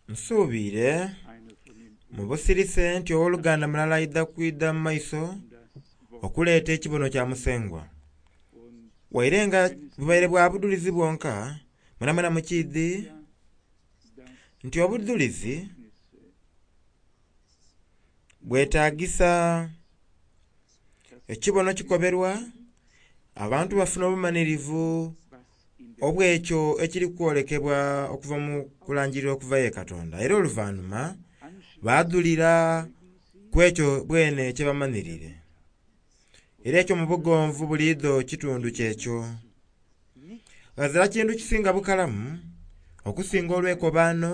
Nsuubiire mu busirise nti ow'oluganda mulala aidha kwidha mu maiso okuleeta ekibono kya Musengwa. Waire nga bubaire bwa budhulizi bwonka, mwenamwena mukiidhi nti obudhulizi bwetagisa ekibono kikoberwa abantu bafuna obumanhirivu obw'ekyo ekiri kwolekebwa okuva mu kulangirira okuva ye Katonda. Era oluvanhuma badhulira ku ekyo bwene kyebamanhirire. Era ekyo mu bugonvu buliidho kitundu kyekyo. Ghazira kintu kisinga bukalamu okusinga olw'ekobaano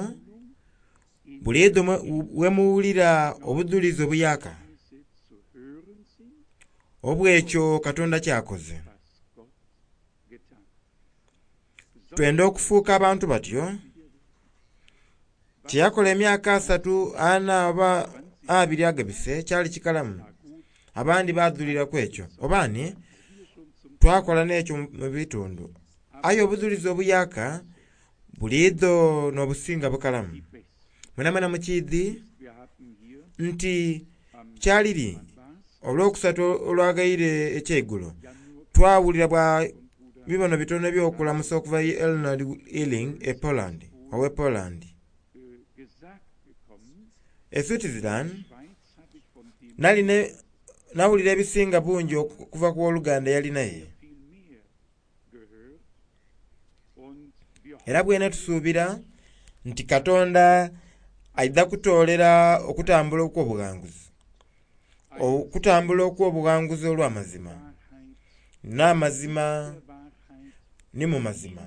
buliidho ghemuwulira obudhulizi obuyaka obw'ekyo Katonda kyakoze. Twenda okufuuka abantu batyo. Kyeyakola emyaka asatu, ana oba abiri agabise kyali kikalamu. Abandi badhulira ku ekyo oba ani twakola n'ekyo mu bitundu. Aye obudhulizi obuyaka buliidho n'obusinga bukalamu. Mwenamwena mukiidhi nti kyaliri olwokusatu olwagaire ekyeigulo twawulira bwa bibono bitono eby'okulamusa okuva ye Eleanor Illing e Poland, owe Poland. E Switzerland nali nawulira ebisinga bungi okuva ku ow'oluganda eyali naye. Era bwene tusuubira nti Katonda aidha kutoolera okutambula okw'obughanguzi, okutambula okw'obughanguzi olw'amazima, n'amazima ni mu mazima.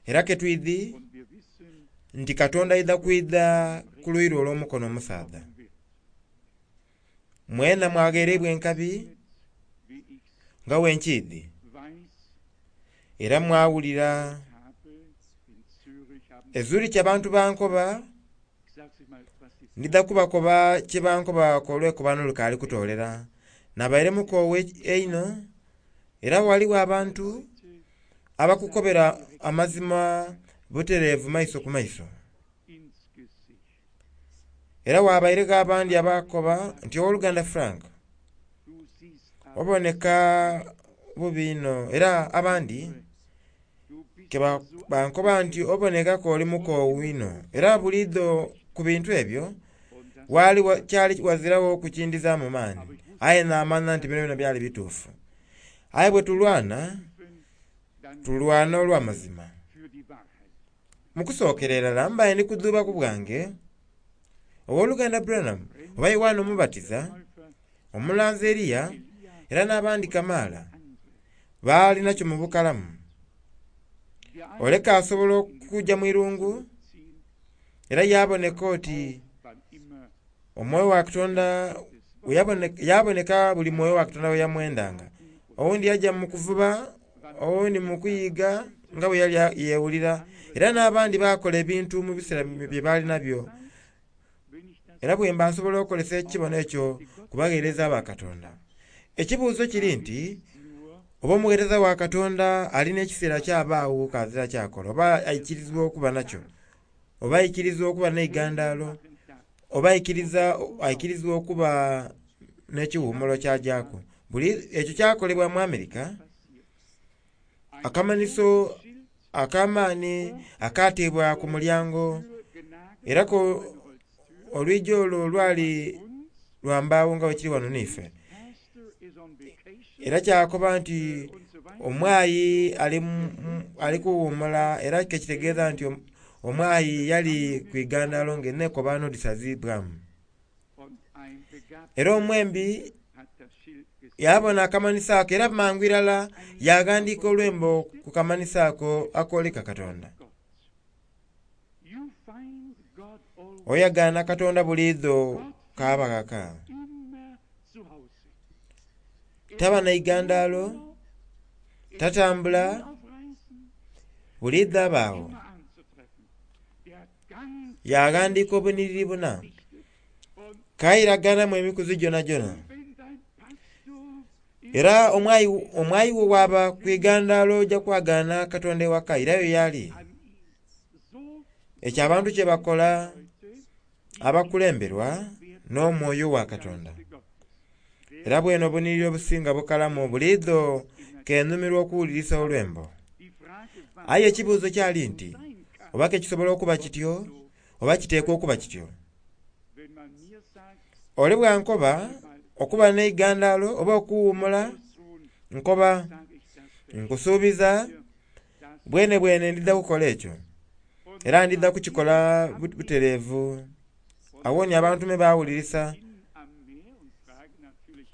Era ketwidhi nti Katonda aidha kwidha ku luuyi lwe olw'omukono omusaadha. Mwena mwaghereibwa enkabi nga bwe nkiidhi, era mwawulira e Zurich abantu bankoba, ndidha kubakoba kyebankoba olw'ekobaano lukaali kutoolera. Nabaire mukoowu einho era ghaligho abantu abakukobera amazima butereevu maiso ku maiso. Era ghabairegho abandi abakoba nti ow'oluganda Frank oboneka bubi inho, era abandi ke bankoba nti oboneka k'oli mukoowu inho. Era buliidho ku bintu ebyo wali kyali ghaziragho kukindhizaamu maani, aye namanha nti byonabyona byali bituufu. Aye bwe tulwana, tulwana olw'amazima. Mu kusookera irala mbaire ndi kudhuuba ku bwange, ow'oluganda Branham oba Yoanne Omubatiza, omulanzi Eliya, era n'abandi kamaala baali nakyo mu bukalamu. Oleka asobola okugya mu irungu era yaaboneka oti omwoyo wa Katonda yaboneka buli mwoyo wa Katonda bwe yamwendanga. Owundi yaja mu kuvuba, owundi mu kuyiga nga bwe yali yewulira, era n'abandi baakola ebintu mu biseera bye baali nabyo. Era bwemba nsobola okukozesa ekibono ekyo ku bagheereza ba Katonda. Ekibuuzo kiri nti, oba omugheereza wa Katonda alina ekiseera ky'abaagho k'azira ky'akola, oba aikirizibwa okuba nakyo, oba aikirizibwa okuba n'eigandaalo, oba aikirizibwa okuba n'ekiwumulo ky'ajaku. Buli ekyo kyakolebwa mu Amerika, akamanhiso ak'amaani akateebwa ku mulyango, era olwigi olwo lwali lwa mbaawo nga bwekiri wano n'ife. Era kyakoba nti omwayi ali kuwumula, era kekitegeeza nti omwayi yali ku igandaalo nga enhekobaano dhisazibwamu. Era omwembi yabona akamanhiso ako era mangu irala yaghandiika olwembo ku kamanhiso ako akooleka Katonda. Oyagaana Katonda buliidho kaaba ghaka. Taba na igandaalo, tatambula, buliidho aba agho. Yaghandiika obunhiriri buna, kairaganamu emikuzi gyonagyona. Era omwayi wo bwaba ku igandaalo oja kwagaana Katonda ewaka, irayo y'ali. Ekyo abantu kye bakola abakulemberwa n'omwoyo wa Katonda. Era bwene obunhiriri obusinga bukalamu buliidho kenhumirwa okuwulirisa olwembo. Aye ekibuuzo kyali nti oba ke kisobola okuba kityo oba kiteekwa okuba kityo. Ole bwankoba okuba n'eigandaalo oba okuwuumula, nkoba nkusuubiza bwene bwene ndidha kukola ekyo. Era ndidha kukikola butereevu. Awo ni abantu me bawulirisa.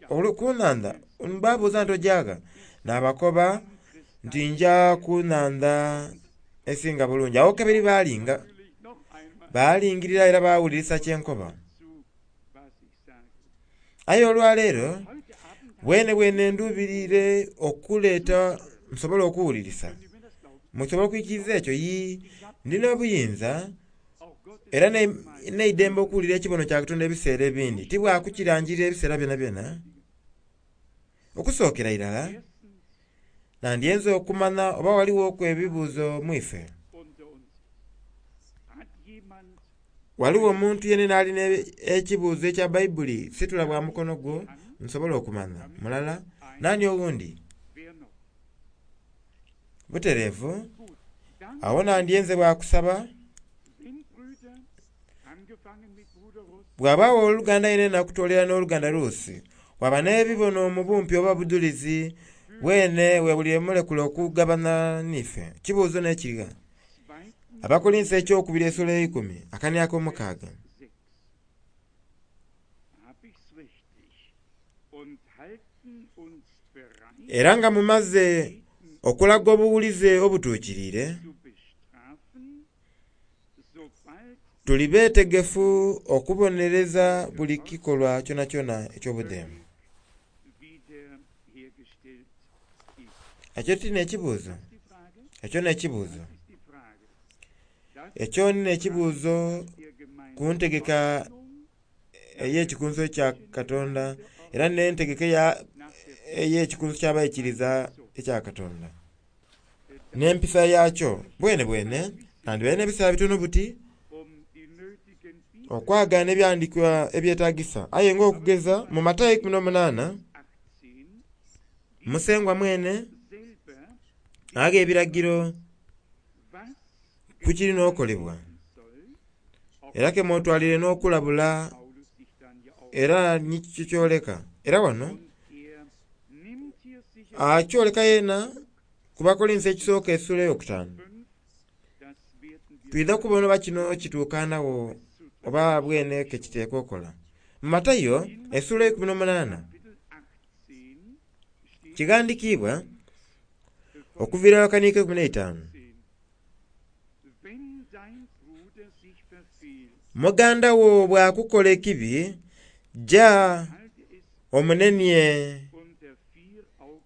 Ku nnhandha babuuza nti ojaaga? Nabakoba nti nja ku nnhandha esinga bulungi. Awo kabiri balinga, balingirira era bawulirisa kyenkoba. Aye olwaleero bwene bwene ndubirire okuleeta nsobole okuwulirisa. Musobola okwikiriza ekyo? Yii, ndina obuyinza era n'eidembe okuwulira ekibono kya Katonda ebiseera ebindi. Tibwakukirangirira ebiseera byonabyona. Okusookera irala, nandyenze okumanya oba ghalighoku ebibuuzo mu ife. Ghaligho omuntu yenena alina ekibuuzo ekya Baibuli? Situla bwa mukono gwo nsobole okumanya. Mulala, nani owundi? Butereevu, agho nandyenze bwakusaba bw'abaagho oluganda yenena okutolera n'oluganda Ruusi, bwaba n'ebibono mu bumpi oba budhulizi bwene wewulire mulekule okugabana n'ife. Kibuuzo n'ekirigha. Abakolinso ekyokubiri esula eikumi akani ak'omukaaga. Era nga mumaze okulaga obuwulize obutuukiriire, tuli beetegefu okubonereza buli kikolwa kyonakyona eky'obudheemu. Ekyo ti n'ekibuuzo? Ekyo n'ekibuuzo. Ekyo ni n'ekibuuzo ku ntegeka ey'ekikunso kya Katonda era n'entegeka ey'ekikunso ky'abaikiriza ekya Katonda n'empisa yakyo. Bwene bwene nandhibaire n'ebiseera bitono buti okwagaana ebyandikwa ebyetagisa. Aye nga okugeza mu Matayo 18 Musengwa mwene agha ebiragiro ku kirina okolebwa era ke mwotwalire n'okulabula era ni kikyoleka. Era wano akyoleka yena ku Bakolinso ekisooka esula eyokutaanu. Twidha kubona oba kino kituukanagho oba bwene ke kiteekwa okola. Mu Matayo esula 18 kighandikiibwa okuviira akaniiko 15. Muganda wo bw'akukola ekibi, ja omunenie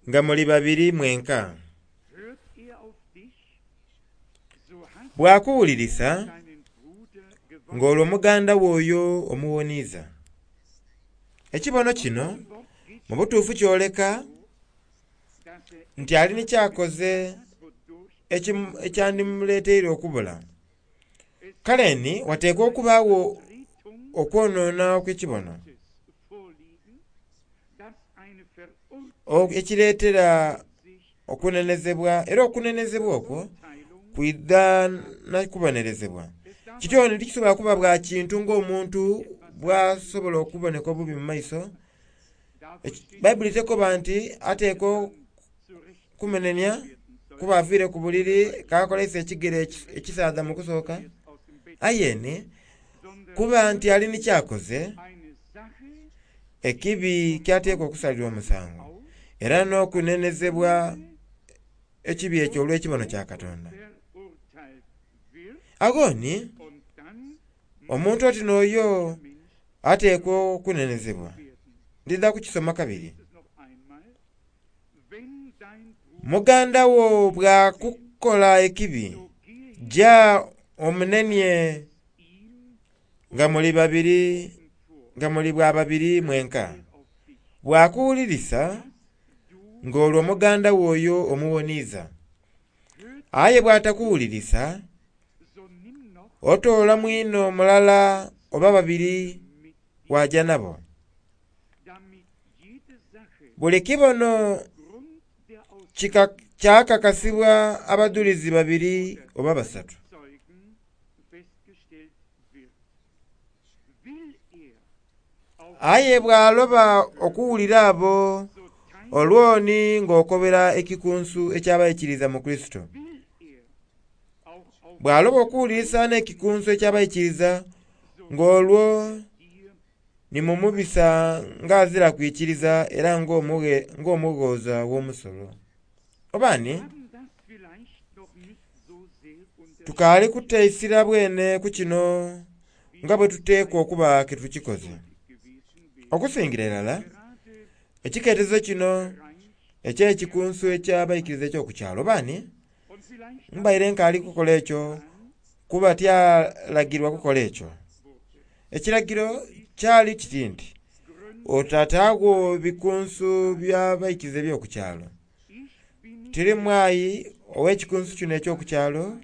nga muli babiri mwenka. Bw'akuwulirisa ng'olwo muganda wo oyo omuwoniiza. Ekibono kino mu butuufu kyoleka nti ali ni kyakoze ekyandimuleteire okubula. Kale ni wateekwa okubaagho okwonoona okw'ekibono ekireetera okunenezebwa, era okunenezebwa okwo kwidha na kubonerezebwa. Kityo ni tikisobola kuba bwa kintu ng'omuntu bw'asobola okuboneka obubi mu maiso. Baibuli tekoba nti ateekwa kumunenia kuba aviire ku buliri kakoleisa ekigere ekisaadha mu kusooka. Aye ni kuba nti ali ni kyakoze ekibi kyateekwa okusalirwa omusango era n'okunenezebwa ekibi ekyo olw'ekibono kya Katonda. Agho ni omuntu oti n'oyo ateekwa okunenezebwa. Ndidha kukisoma kabiri. Muganda wo bw'akukola ekibi, ja omunenie nga muli babiri nga muli bwa babiri mwenka. Bw'akuwulirisa ng'olwo muganda wo oyo omuwoniiza. Aye bw'atakuwulirisa, Otoola mwino mulala oba babiri waja nabo. Buli kibono kyakakasibwa abadhulizi babiri oba basatu. Aye bw'aloba okuwulira abo, olwo ni ng'okobera ekikunsu eky'abaikiriza mu Kurisito. Bw'aloba okuwulirisa n'ekikunsu eky'abaikiriza, ng'olwo ni mumubisa ng'azira kwikiriza era ng'omughooza w'omusolo. Oba ni tukaali kuta isira bwene ku kino nga bwe tuteekwa okuba ke tukikoze. Okusingira irala ekiketezo kino eky'ekikunsu eky'abaikiriza eky'oku kyalo. Oba ni mbaire nkaali kukola ekyo kuba tyalagirwa kukola ekyo. Ekiragiro kyali kiti nti otataagho bikunsu by'abaikiriza eby'oku kyalo. Tiri mwayi ow'ekikunsu kino eky'oku kyalo,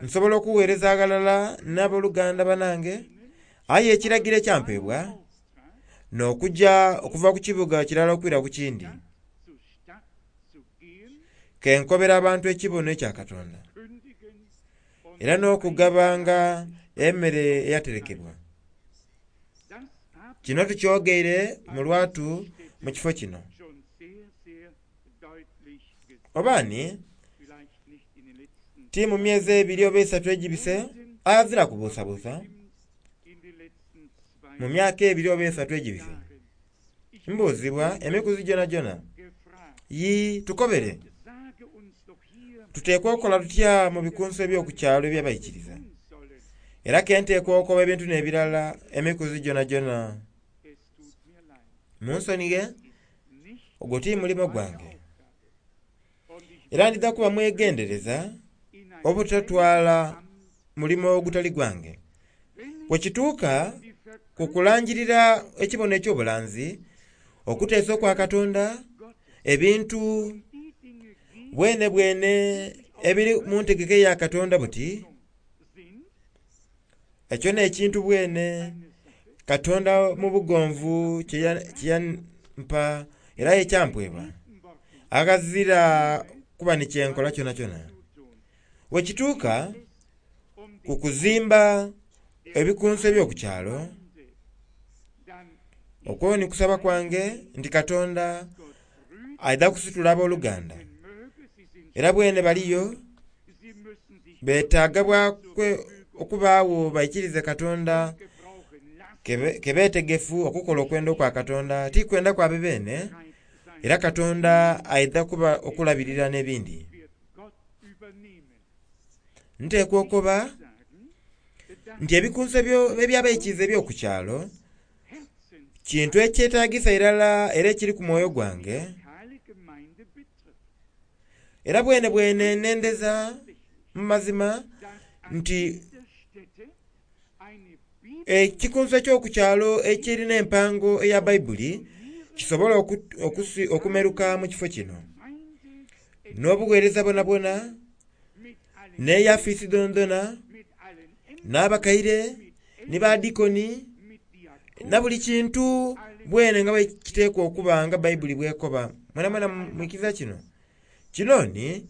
nsobola okuweereza aghalala n'aboluganda banange, aye ekiragiro ekyampeebwa n'okugya okuva ku kibuga kirala okwira ku kindi. Kenkobera abantu ekibono ekya Katonda era n'okugabanga emmere eyaterekebwa. Kino tukyogeire mu lwatu mu kifo kino. Oba ni ti mu myezi ebiri oba esatu egibise, aghazira kubuusabuusa, mu myaka ebiri oba esatu egibise, mbuuzibwa emikuzi gyonagyona, Yii, tukobere, tuteekwa okukola tutya mu bikunsu eby'oku kyalo eby'abaikiriza? Era ke nteekwa okukoba ebintu n'ebirala emikuzi gyonagyona. Munsonighe, ogwo ti mulimo gwange. Era ndidha kuba mwegendereza obutatwala mulimo ogutali gwange. Bwe kituuka ku kulangirira ekibono eky'obulanzi, okuteesa okwa Katonda, ebintu bwenebwene ebiri mu ntegeka eya Katonda buti, ekyo n'ekintu bwene Katonda mu bugonvu kye yampa era ekyampwebwa, aghazira kuba ni kye nkola kyonakyona. Bwe kituuka ku kuzimba ebikunsu eby'oku kyalo, okwo ni kusaba kwange nti Katonda aidha kusitula aboluganda. Era bwene baliyo betaaga bwa okubaagho baikirize Katonda ke beetegefu okukola okwenda okwa Katonda, ti kwenda kwabe beene, era Katonda aidha kuba okulabirira n'ebindi. Nteekwa okukoba nti ebikunsu eby'abaikiriza eby'oku kyalo kintu ekyetagisa irala era ekiri ku mwoyo gwange, era bwene bwene nendeza mu mazima nti ekikunsu eky'oku kyalo ekirina empango eya Baibuli kisobola okumeruka mu kifo kino. N'obugheereza bwonabwona, n'eyafisi dhonadhona, n'abakaire, ni badikoni, na buli kintu bwene nga bwe kiteekwa okuba nga Baibuli bw'ekoba. Mwenamwena mwikiriza kino? Kino ni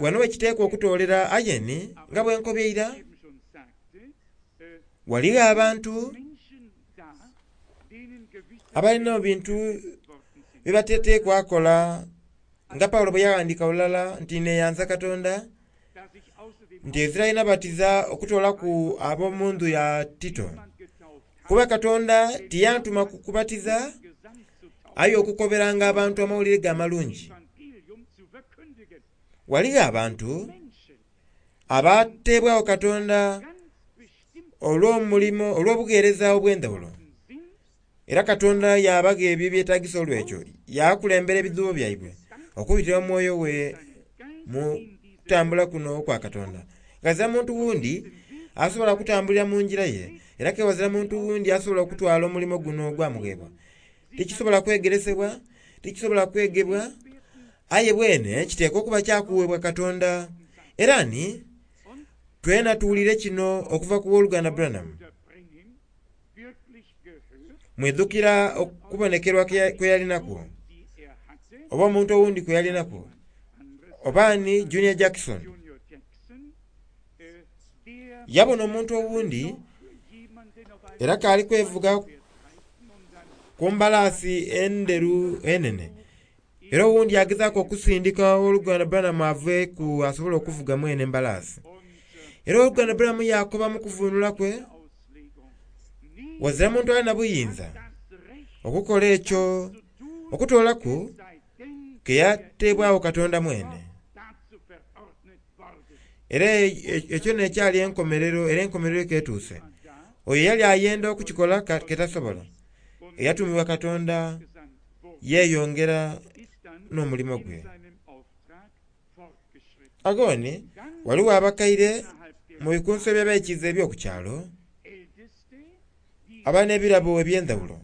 wano we kiteekwa okutoolera aye ni nga bwe nkobye eira, ghaligho abantu abalina ebintu bye batateekwa kola nga Paulo bwe yaghandiika lulala nti neyanza Katonda nti ezira ye nabatiza okutoolaku ab'omu ndhu ya Tito. Kuba Katonda tiyantuma kubatiza aye okukoberanga abantu amawulire ge amalungi. Ghaligho abantu abateebwagho Katonda olw'omulimo olw'obugheereza obw'endhaghulo. Era Katonda yaabagha ebyo ebyetagisa olw'ekyo, yaakulembera ebidhuubo byaibwe okubitira mu mwoyo we mu kutambula kuno okwa Katonda. Ghazira muntu wundi asobola kutambulira mu ngira ye, era ke ghazira muntu wundi asobola okutwala omulimo guno ogwamugheebwa. Tikisobola kwegeresebwa, tikisobola kwegebwa, aye bwene kiteekwa okuba kya kuweebwa Katonda. Era ni. Twena tuwulire kino okuva ku wooluganda Branham. Mwidhukira okubonekerwa kwe yalinakwo, oba omuntu owundi kwe yalinakwo, oba ni Junior Jackson. Yabona omuntu owundi era kaali kwevuga ku mbalaasi endheru enene. Era owundi agezaku okusindika owoluganda Branham aveeku asobole okuvuga mwene embalaasi. Era owoluganda Branham yakoba mu kuvunula kwe, wazira muntu alina buyinza okukola ekyo okutoolaku ke yateebwagho Katonda mwene. Era ekyo n'ekyali enkomerero, era enkomerero ketuuse. Oyo yali ayenda okukikola ketasobola. Eyatumibwa Katonda yeeyongera n'omulimo gwe. Agoni waliwo abakaire mu bikunso eby'abaikiza eby'oku kyalo aba n'ebirabo eby'endhawulo.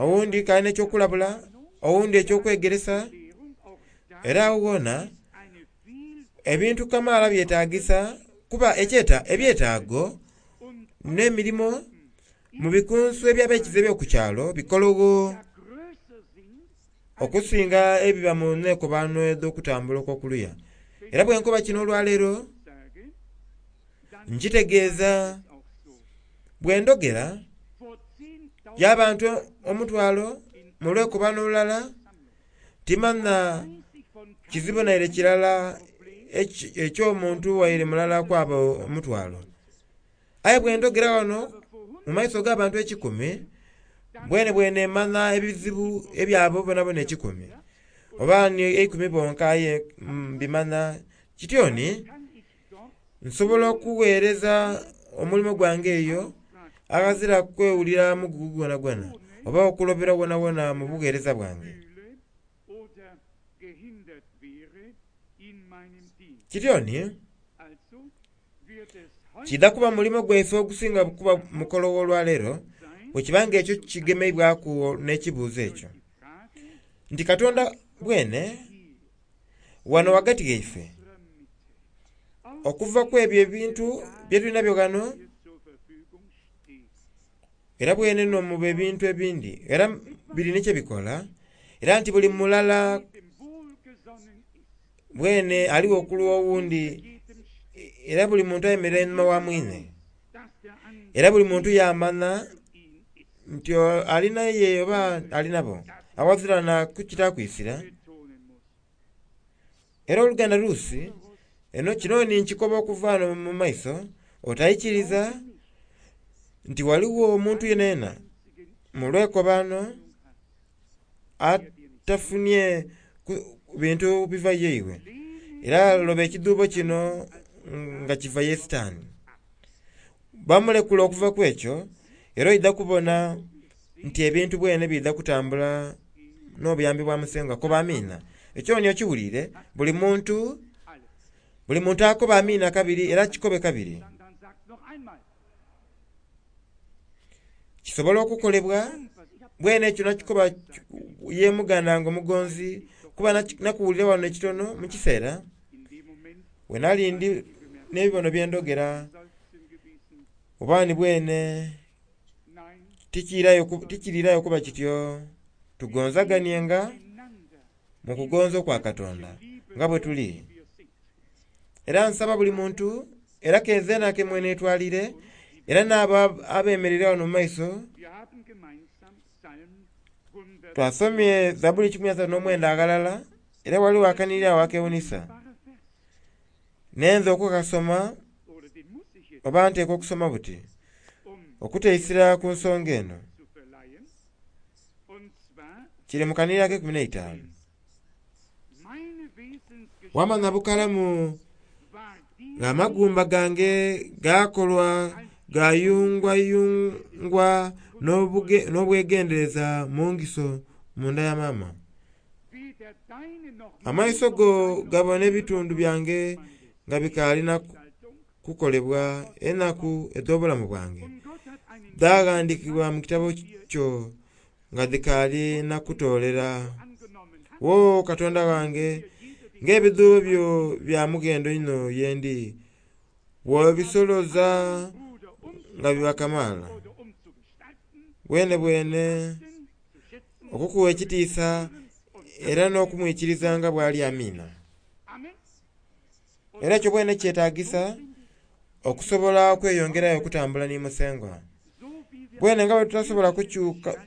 Owundi kalina eky'okulabula, owundi eky'okwegeresa, era awo wona ebintu kamaala byetagisa kuba ebyetaago n'emirimo mu bikunso eby'abaikiza eby'oku kyalo bikologho okusinga ebiba mu neekobano edh'okutambula okw'okuluya. Era bwe nkoba kino olwaleero nkitegeeza bwe ndhogera y'abantu omutwalo mu lwekobano olulala timanha kizibu naire kirala eky'omuntu waire mulala kwabo omutwalo. Aye bwe ndhogera wano mu maiso g'abantu ekikumi, bwene bwene mmanha ebizibu ebyabo bonabona ekikumi, oba ni eikumi bonka aye mbimanha. Kityoni nsobola okugheereza omulimo gwange eyo aghazira kwewulira mugugu gwonagwona oba okulobera wonawona mu bugheereza bwange. Kityoni kidha kuba mulimo gwaife ogusinga kuba mukologho olwaleero bwe kiba nga ekyo kigemeibwaku n'ekibuuzo ekyo. Nti Katonda bwene wano ghagati ghaife okuva ku ebyo ebintu bye tulina byo ghano era bwene n'omuba ebintu ebindi era biri ni kye bikola era nti buli mulala bwene aligho okulwa owundi era buli muntu ayemerera einhuma wa mwine. Era buli muntu yamanha nti alina ye oba alinabo aghazira na kukita kwisira. Era oluganda Rusi eno kino ni nkikoba okuva ghano mu maiso otaikiriza nti ghaligho omuntu yenayena mu lwekobano atafunye bintu biva yeiwe. Era loba ekidhuubo kino nga kiva ye Sitaani. Bamulekula okuva ku ekyo era oidha kubona nti ebintu bwene biidha kutambula n'obuyambi bwa Musengwa. Koba amiina. Ekyo ni okiwulire buli muntu akoba amiina kabiri era kikobe kabiri. Kisobola okukolebwa bwene ekyo nakikoba ye muganda wange omugonzi kuba nakuwulira wano ekitono mu kiseera we nali ndi n'ebibono bye ndhogera oba ni bwene tikiriirayo kuba kityo. Tugonzaganienga mu kugonza okwa Katonda nga bwe tuli. Era nsaba buli muntu era kenzeena ke mwenetwalire era n'abo abemereire wano mu maiso. Twasomye Zabuli 139 aghalala era ghaligho akanhiriri agho akewunisa. Nenze okukasoma oba nteekwa okusoma buti okuteisira ku nsonga eno. Kiri mu kanhiriri ak'eikumi n'eitaanu. Wamanha bukalamu ng'amagumba gange gakolwa gayungwayungwa n'obwegendereza mu ngiso munda ya maama. Amaiso go gabona ebitundu byange nga bikaali na kukolebwa enaku edh'obulamu bwange dhaghandhiikibwa mu kitabo kyo nga dhikaali na kutoolera. Wo Katonda wange, ng'ebidhuubo byo bya mughendo inho ye ndi! Bw'obisoloza nga biba kamaala. Bwene bwene okukuwa ekitiisa era n'okumwikiriza nga bw'ali. Amiina. Era ekyo bwene kyetagisa okusobola okweyongerayo okutambula ni Musengwa. Bwene nga bwe tutasobola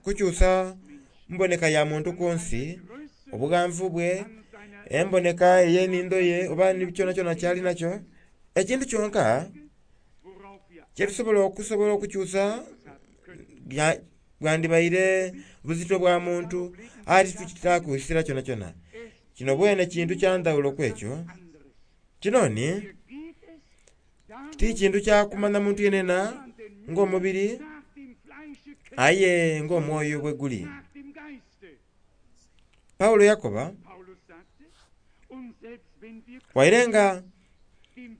kukyusa mboneka ya muntu ku nsi, obughanvu bwe, emboneka ey'enhindo ye oba kyonakyona kyali nakyo, ekintu kyonka kyetusobola okusobola okukyusa bwandibaire buzito bwa muntu, aye titukitakusira kyonakyona. Kino bwene kintu kya ndhawulo ku ekyo. Kino ni ti kintu kya kumanya muntu yenena ng'omubiri, aye ng'omwoyo bwe guli. Paulo yakoba, waire nga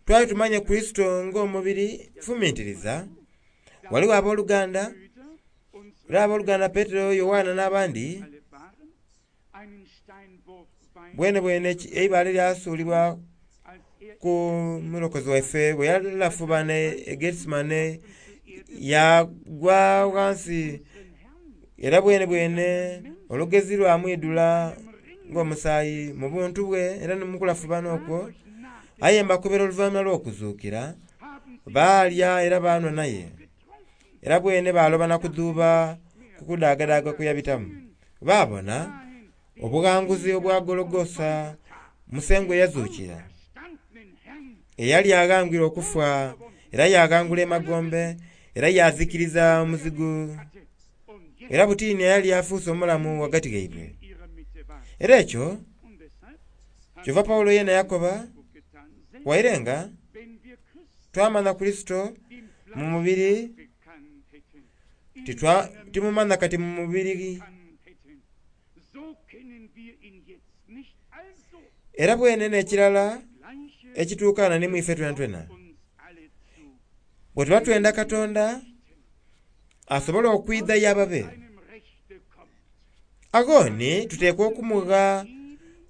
twali tumanye Kurisito ng'omubiri, fumintiriza, ghaligho abooluganda, era abooluganda Petero, Yoanna n'abandi, bwene bwene eibaale lyasuulibwa ku mulokozi waife bwe yalafubana e Getsemane yagwa ghansi, era bwene bwene olugezi lwamwidhula ng'omusaayi mu buntu bwe era ni mu kulafubana okwo. Aye mbakobera oluvannyuma lw'okuzuukira, baalya era baanhwa naye, era bwene baaloba na kudhuuba ku kudaagadaaga kwe yabitamu. Baabona obughanguzi obwa Gologosa Musengwa eyazuukira, eyali aghangwire okufa era yaaghangula emagombe era yaazikiriza omuzigu, era butini eyali afuuse omulamu ghagati ghaibwe. Era ekyo kyova Paulo yena yakoba, waire nga twamanya Kurisito mu mubiri, timumanya kati mu mubiri. Era bwene n'ekirala ekituukana ni mwife twenatwena. Bwe tuba twenda Katonda asobole okwidha y'ababe, agho ni tuteekwa okumugha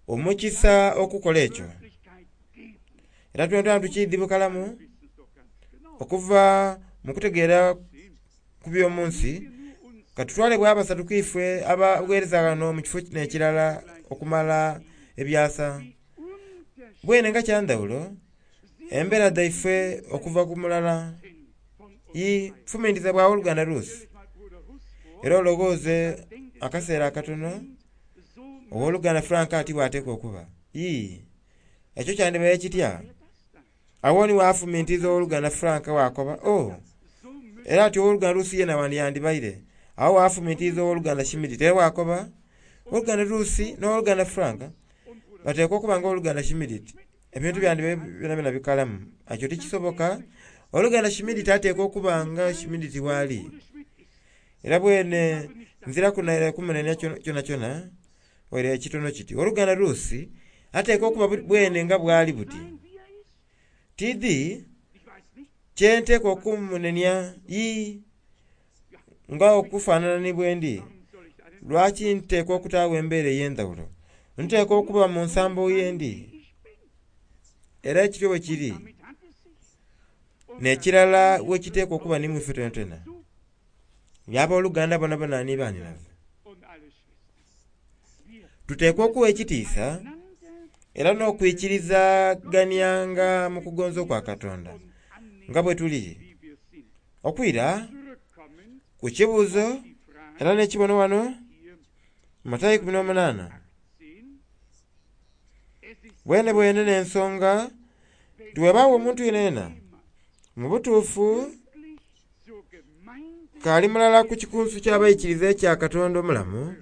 omukisa okukola ekyo. Era twenatwena tukiidhi bukalamu okuva mu kutegeera ku by'omu nsi, katutwale bwa basatu ku ife abagheereza ghano mu kifo n'ekirala okumala ebyasa. Bwene nga kyandhawulo embeera dhaife okuva ku mulala. Fumintiza bwa oluganda Rusi, era olowooze akaseera akatono ow'oluganda Frank ati bw'ateekwa okuba. Ekyo kyandibaire kitya? Awo ni waafumintiza ow'oluganda Frank waakoba, oh, era ati ow'oluganda Rusi yena wandiyandibaire. Awo waafumintiza ow'oluganda Shimiditi era waakoba, ow'oluganda Rusi n'ow'oluganda Frank bateekwa okuba nga ow'oluganda Shimiditi. Ebintu byandibaire byonabyona bikalamu. Ekyo tikisoboka. Ow'oluganda Shimiditi ateekwa okuba nga Shimiditi bw'ali. Era bwene nziraku naire kumunenia kyonakyona waire ekitono kiti. Ow'oluganda Rusi ateekwa okuba bwene nga bw'ali buti. Tiidhi kye nteekwa okumunenia nga okufaanana ni bwendi. Lwaki nteekwa okutaagho embeera ey'endhawulo? Nteekwa okuba mu nsambo yendi. Era ekityo bwe kiri, n'ekirala bwe kiteekwa okuba ni mwife twenatwena. Abooluganda bonabona ni baanhinaze. Tuteekwa okuwa ekitiisa era n'okwikirizaganyanga mu kugonza okwa Katonda nga bwe tuli. Okwira ku kibuuzo era n'ekibono wano, Matayo 18. Bwene bwene n'ensonga tiwebaawo omuntu yenayena mu butuufu kaali mulala ku kikunsu ky'abaikiriza ekya Katonda omulamu,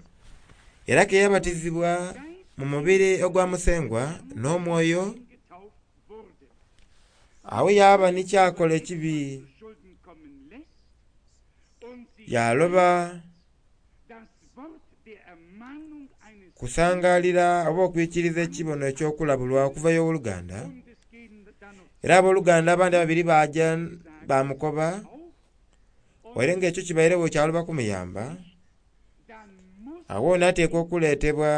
era ke yabatizibwa mu mubiri ogwa Musengwa n'omwoyo, awo yaaba ni kyakola ekibi, yaloba kusangalira oba okwikiriza ekibono eky'okulabulwa okuva y'owoluganda. Era abooluganda abandi ababiri baaja bamukoba, waire nga ekyo kibairegho kyaloba kumuyamba, awo n'ateekwa okuleetebwa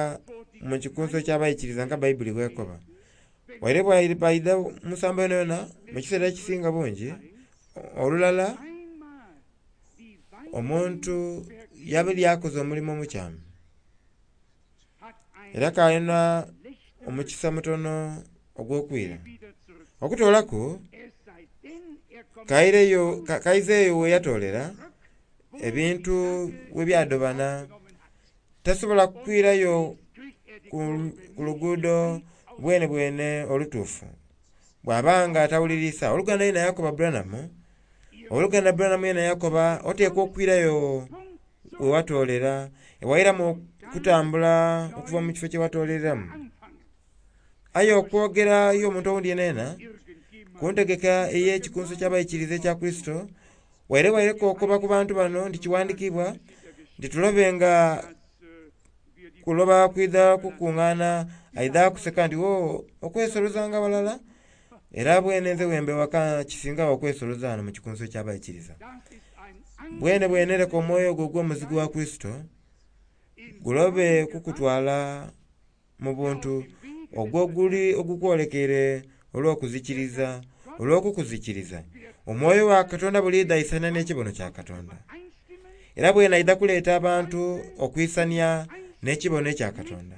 mu kikunsu eky'abaikiriza nga Bayibuli bw'ekoba. Waire baidha mu nsambo yonayona mu kiseera ekisinga bungi, olulala omuntu yabali akoze omulimo omukyamu era kalina omukisa mutono ogw'okwira okutolaku kaizeyo weyatolera ebintu webyadobana tasobola kwirayo ku luguudo bwenebwene olutuufu bwaba nga tawulirisa. Oluganda yena yakoba Branham, oluganda Branham yena yakoba oteekwa okwirayo wewatolera ewairamu okutambula okuva mu kifo kyewatoleramu. Aye okwogera y'omuntu owundi yenayena ku ntegeka ey'ekikunso ky'abaikiriza ekya Kurisito, waire waireko okoba ku bantu bano nti kiwandikibwa nti tulobenga kuloba kwidha kukuŋŋaana aidha kuseka nti wo okwesolozanga walala era bwene nze wembe waka kisingawo okwesoloza wano mu kikunso ky'abaikiriza. Bwene bwene leka omwoyo ogwo ogw'omuzigu wa Kurisito gulobe kukutwala mu buntu ogwo guli ogukwolekeire olw'okuzikiriza olw'okukuzikiriza. Omwoyo wa Katonda buliidha aisania n'ekibono kya Katonda, era bwene aidha kuleeta abantu okwisania n'ekibono ekya Katonda.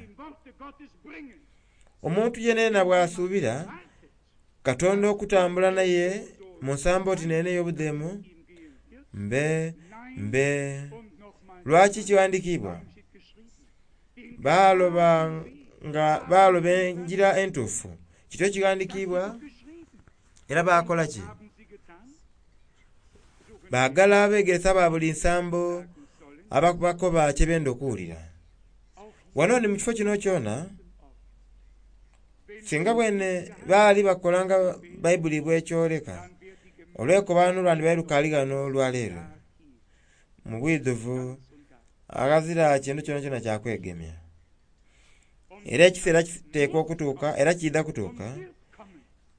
Omuntu yenayena bw'asuubira Katonda okutambula naye mu nsambo oti nene ey'obudheemu, mbe mbe lwaki kiwandiikibwa baloba nga baloba engira entuufu. Kityo kighandikibwa era bakola ki? Baagala abegeresa ba buli nsambo ababakoba kyebenda okuwulira. Wano ni mu kifo kino kyona, singa bwene baali bakolanga Baibuli bwekyoleka, olwekobano lwandibaire lukaali ghano olwaleero. Mu bwidhuvu aghazira kintu kyonakyona kya kwegemya. Era ekiseera kiteekwa okutuuka era kiidha kutuuka,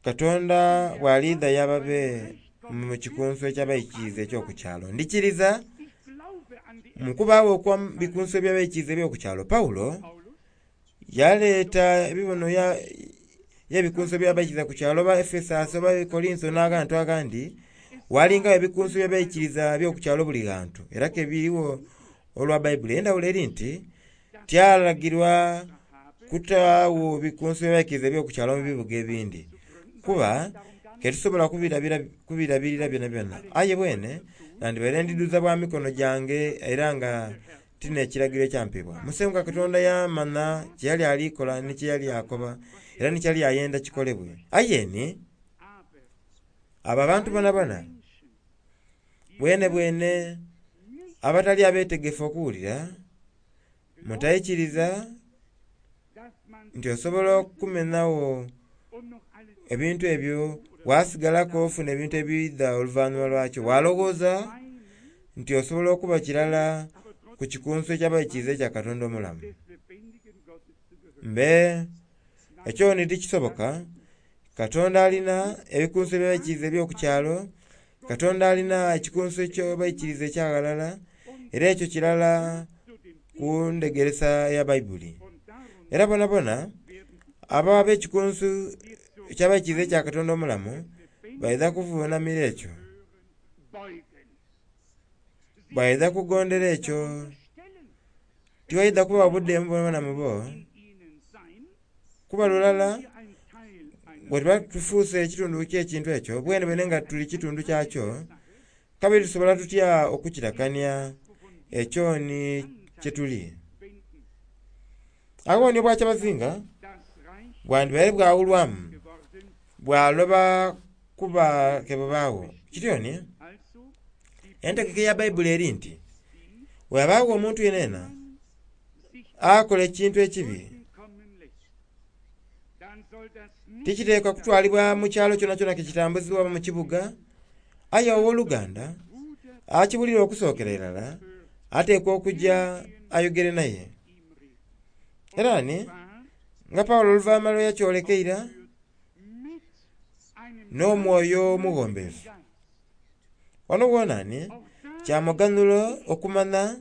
Katonda bw'aliidha yababe mu kikunso eky'abaikiriza eky'oku kyalo. Ndikiriza mu kubaagho okwa bikunso eby'abaikiriza eby'oku kyalo. Pawulo yaleeta ebibono y'ebikunso eby'abaikiriza ku kyalo oba Efesasi oba Korinso n'agantu agandi, walingawo ebikunso eby'abaikiriza eby'oku kyalo buli ghantu era ke biriwo olwa Baibuli. Endhawulo eri nti tyalagirwa kutaawo bikunso eby'abaikiriza eby'oku kyalo mu bibuga ebindi, kuba ketusobola kubirabirira byonabyona. Aye bwene nandibaire ndidhuza bwa mikono gyange era nga ti n'ekiragiro ekyampebwa. Musengwa Katonda yamanha kye yali ali kola ni kye yali akoba era ni kye yali ayenda kikolebwe. Aye ni abo abantu bonabona bwenebwene abatali abeetegefu okuwulira, mutaikiriza nti osobola okumenhagho ebintu ebyo wasigalaku ofuna ebintu ebiidha oluvanhuma lwakyo. Walowooza nti osobola okuba kirala ku kikunso eky'abaikiriza ekya Katonda omulamu. Mbe ekyo ni tikisoboka. Katonda alina ebikunso eby'abaikiriza eby'oku kyalo, Katonda alina ekikunso eky'abaikiriza ekya ghalala, era ekyo kirala ku ndhegeresa ya Baibuli. Era bonabona abo ab'ekikunsu eky'abaikiriza ekya Katonda omulamu baidha kuvunamira ekyo, baidha kugondera ekyo. Tiwaidha kuba budheemu bwonabwona mu bo, kuba lulala bwe tuba tufuuse ekitundu ky'ekintu ekyo bwenebwene nga tuli kitundu kyakyo, kabiri tusobola tutya okukirakania ekyo ni kye tuli? Agho ni obwakyabazinga bwandibaire bwawulwamu bwaloba kuba ke bubaagho. Kityo ni entegeka eya Baibuli eri nti bw'abaagho omuntu yenayena akola ekintu ekibi, tikiteekwa kutwalibwa mu kyalo kyonakyona ke kitambuzibwa oba mu kibuga, aye ow'oluganda akiwulira okusookera irala ateekwa okugya ayogere naye. Era ni nga Pawulo oluvanhuma lwe yakyoleka eira n'omwoyo omughombefu. Wano wona ni kya muganhulo okumanha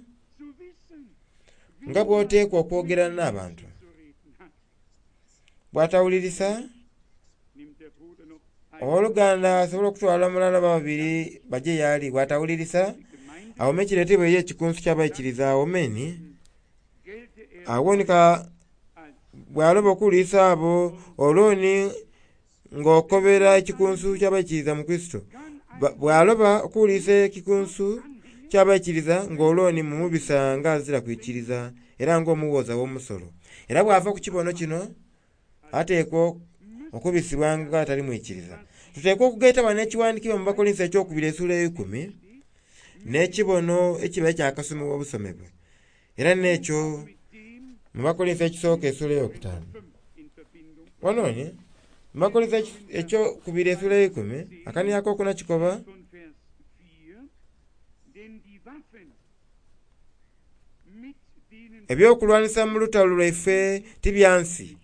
nga bw'oteekwa okwogera n'abantu. Bw'atawulirisa. Owoluganda asobola okutwala mulala oba babiri baje y'ali, bw'atawulirisa awome kireetebwa eri ekikunsu ky'abaikiriza awomeni awonika bw'aloba okuwulirisa abo olwoni ng'okobera ekikunsu ky'abaikiriza mu Kurisito. Bw'aloba okuwulirisa ekikunsu ky'abaikiriza ng'olwoni mumubisa nga azira kwikiriza era ng'omuwooza w'omusolo. Era bw'ava ku kibono kino ateekwa okubisibwa nga atali mwikiriza. Tuteekwa okugaita wano ekiwandiikibwa mu Bakolinso ekyokubiri essuula eikumi n'ekibono ekiba ekyakasomebwa obusomebwe. Era n'ekyo mu Bakolinso ekisooka essuula eyokutaano. Wano ni mu Bakolinso ekyokubiri essuula eikumi akaniya akokuna kikoba Von Vers 4, denn die Waffen, mit denen ebyokulwanisa mu lutalo lwaife ti bya nsi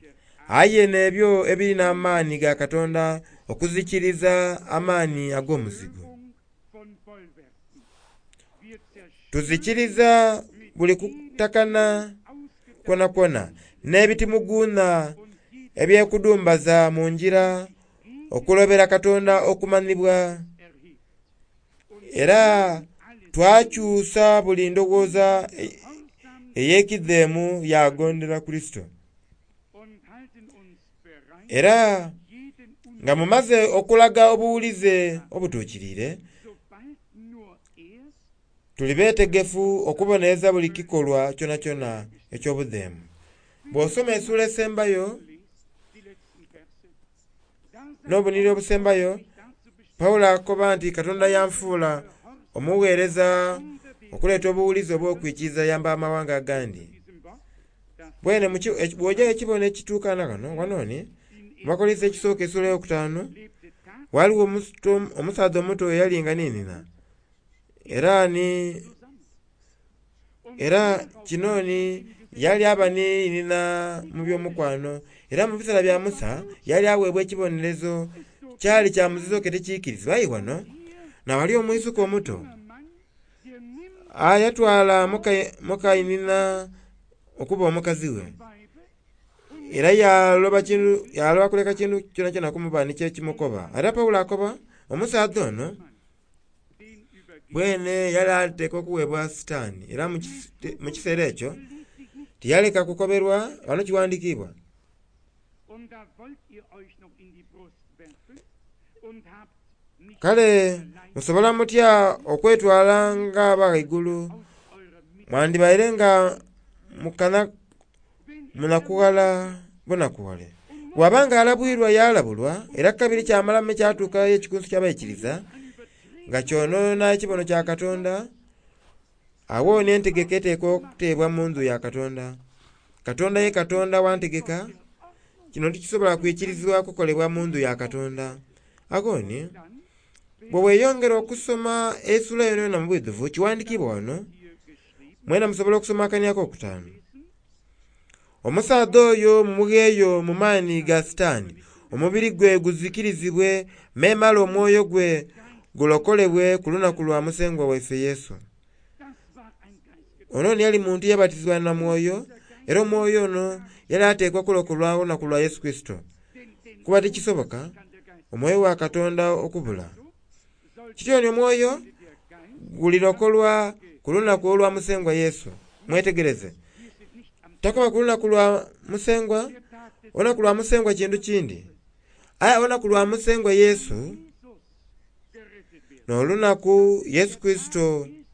aye n'ebyo ebiri n'amaani ga Katonda okuzikiriza amaani ag'omuzigu. Zerstörung von Bollwerken. Wir zerstören Tuzikiriza buli kutakana kwonakwo n'ebitimuguunha und jede ebyekudumbaza mu ngira okulobera Katonda okumanhibwa erhebt. Und era alles twakyusa buli ndowooza gehorsam ey'ekidheemu yagondera Kurisito. und halten uns bereit, Era jeden nga mumaze okulaga obuwulize obutuukiriire, sobald nur erst tuli beetegefu okubonereza buli kikolwa kyonakyona eky'obudheemu. Bw'osoma essuula esembayo lest die letzten Verse. Da sagt n'obuniri obusembayo, mich dazu bestimmt, Pawulo akoba nti Katonda yanfuula omuweereza okuleeta obuwulize obw'okwikiriza yamba amawanga agandi. diesem Wort, das Bwene bw'oja ekibono ekituukana kano wano ni mu Bakolinso ekisooka essuula eyokutaano lebte tatsächlich waliwo omusaadha omuto eyali nga ninina era ni zusammen. Und era kino ni yali aba ninina mu by'omukwano era mu biseera bya Musa yali aweebwa ekibonerezo kyali kya muzizo ke tekiikirizibwa. Aye wano nawali omwisuka omuto junger Mann, der nimmt ayatwala mukainina okuba omukazi we Weibe era yaloba kintu yaloba kuleka kintu kyonakyona kumuba nikyo ekimukoba. Era Pawulo akoba omusaadha ono den übergibt bwene yali ateekwa okuweebwa Sitaani era mu kiseera ekyo ließ sich nicht tiyaleka kukoberwa wano kiwandiikibwa. und da wollt ihr euch noch in die Brust werfen und habt nicht Kale allein musobola mutya okwetwala nga ab'ghaigulu aus eurer Mitte mwandibaire nga mukana wenn er munakughala bunakughale. Bw'aba nga alabwirwa yalabulwa era kabiri kyamalamu ekyatuukayo ekikunsu ky'abaikiriza an Übertretung nga kyonoona ekibono kya Katonda awo n'entegeka eteekwa okuteebwa mu ndhu ya Katonda. Katonda ye Katonda wantegeka kino tikisobola kwikirizibwa kukolebwa mu ndhu ya Katonda. Agoni dann bwe weeyongera okusoma essuula yonayona mu bwidhuvu kiwandiikibwa wano hier geschrieben mwena musobola okusoma akani akokutaano. lesen, Omusaadha oyo mumugheeyo mu maani ga Sitaani, omubiri gwe guzikirizibwe memale omwoyo gwe gulokolebwe ku lunaku lwa Musengwa waife Yesu. das war ein Geistgetrieben. Ono ni yali muntu eyabatizibwa na mwoyo era omwoyo ono yali ateekwa kulokolwa olunaku lwa Yesu Kurisito. Denn den Kuba tikisoboka kann der Geist omwoyo wa Katonda okubula. soll Kityo ni omwoyo der Geist gulirokolwa ku lunaku olwa Musengwa Yesu. Mwetegereze. wir sind nicht am Takoba ku lunaku lwa Musengwa, der Tag des olunaku lwa Musengwa kintu kindi. Aye olunaku lwa Musengwa Yesu Jesus gerettet werden. n'olunaku Yesu Kurisito Jesu Christi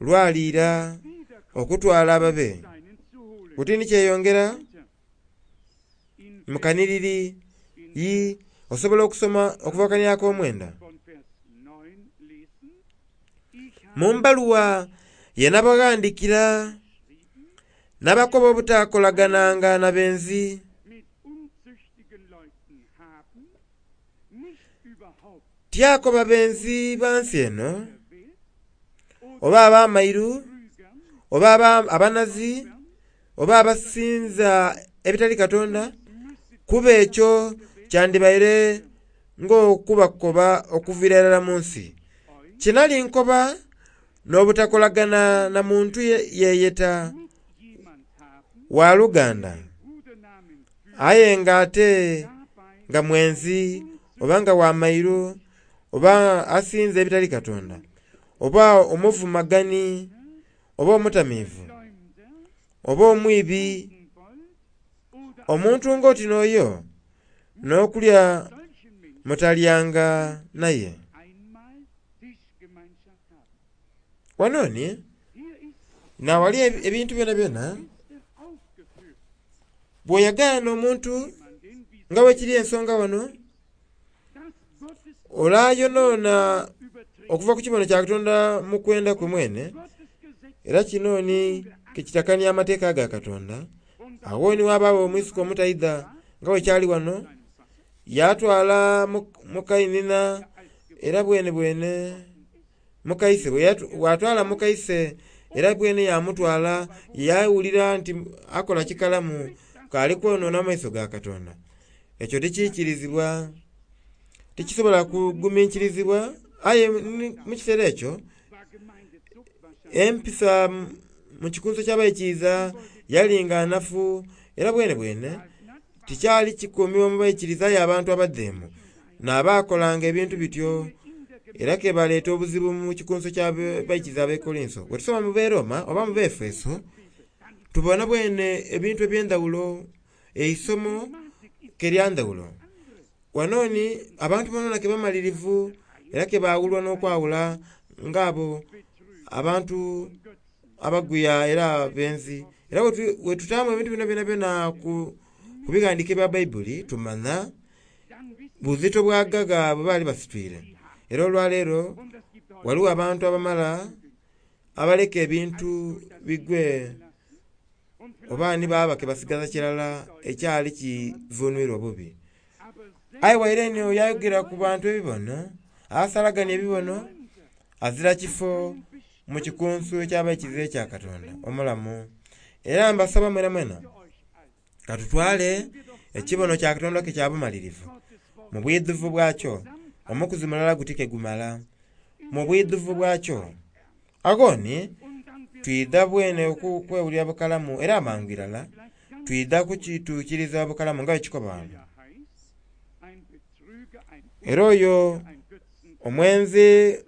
lwaliira wiederkommt, okutwala ababe. seinen zu holen. Buti ni kyeyongera Weiter. In mu kaniriri yi osobola okusoma okuva kani ak'omwenda. von Vers 9 lesen. Ich Mu habe mbaluwa ye nabaghandikira nabakoba obutaakolagananga na benzi mit unzüchtigen Leuten haben, nicht überhaupt tyakoba benzi ba nsi eno der Welt oder oba ab'amairu Betrügern, oba abanazi oba abasinza ebitali Katonda müsstet kuba ekyo kyandibaire ng'okubakoba okuviira irala mu nsi. euch Kinali nkoba n'obutakolagana na muntu yeeyeta mit jemand haben, waluganda den Brudernamen führt, aye nga ate dabei nga mwenzi oba nga wa mairu, oba asinza ebitali Katonda, oba omuvumagani, oba omutamiivu, oba omwibi, omuntu ng'oti n'oyo n'okulya mutalyanga naye. Wano ni naghali ebintu byonabyona bw'oyagaana omuntu nga bwekiri ensonga wano, ole ayonona okuva ku kibono kya Katonda mu kwenda kwe mwene, era kino ni kekitakania amateeka ga Katonda. Agho ni ghabagho omwisuka omutaidha nga bwekyali wano, yatwala mukainhina era bwenebwene mukaise bwatwala mukaise era bwene yamutwala yawulira nti akola kikalamu kali kwonona mu maiso ga Katonda. Ekyo tikiikirizibwa, tikisobola kuguminkirizibwa aye mu kiseera ekyo empisa mu kikunsu eky'abaikiriza yali nga nafu era bwenebwene tikyali kikuumibwa mu baikiriza aye abantu abadheemu n'abaakolanga ebintu bityo era kebaleeta obuzibu mu kikunsu eky'abaikiriza ab'e Kolinso. Bwetusoma mu b'e Roma oba mu b'Efeso, tubona bwene ebintu eby'endhawulo, eisomo ke lya ndhawulo. Wano ni abantu bonabona ke bamalirivu era ke baawulwa n'okwawula ng'abo abantu abagwiya era abenzi. Era bwetutaamu ebintu bino byonabyona ku bighandiiko ebya Baibuli, tumanha buzito bwa gaga bwe baali basitwire. Era olwaleero ghaligho abantu abamala abaleka ebintu bigwe oba ni baaba ke basigaza kirala ekyali kivunwire obubi. Aye waire eno yayogera ku bantu ebibono, asalagania ebibono, azira kifo mu kikunsu eky'abaikiriza ekya Katonda omulamu. Era mbasaba mwenamwena katutwale ekibono kya Katonda ke kya bumalirivu mu bwidhuvu bwakyo, omukuzi mulala guti ke gumala mu bwidhuvu bwakyo. Agho ni twidha bwene okwewulira bukalamu era amangu irala twidha kukituukiriza bukalamu nga bwe kikoba ghano. Era oyo omwenzi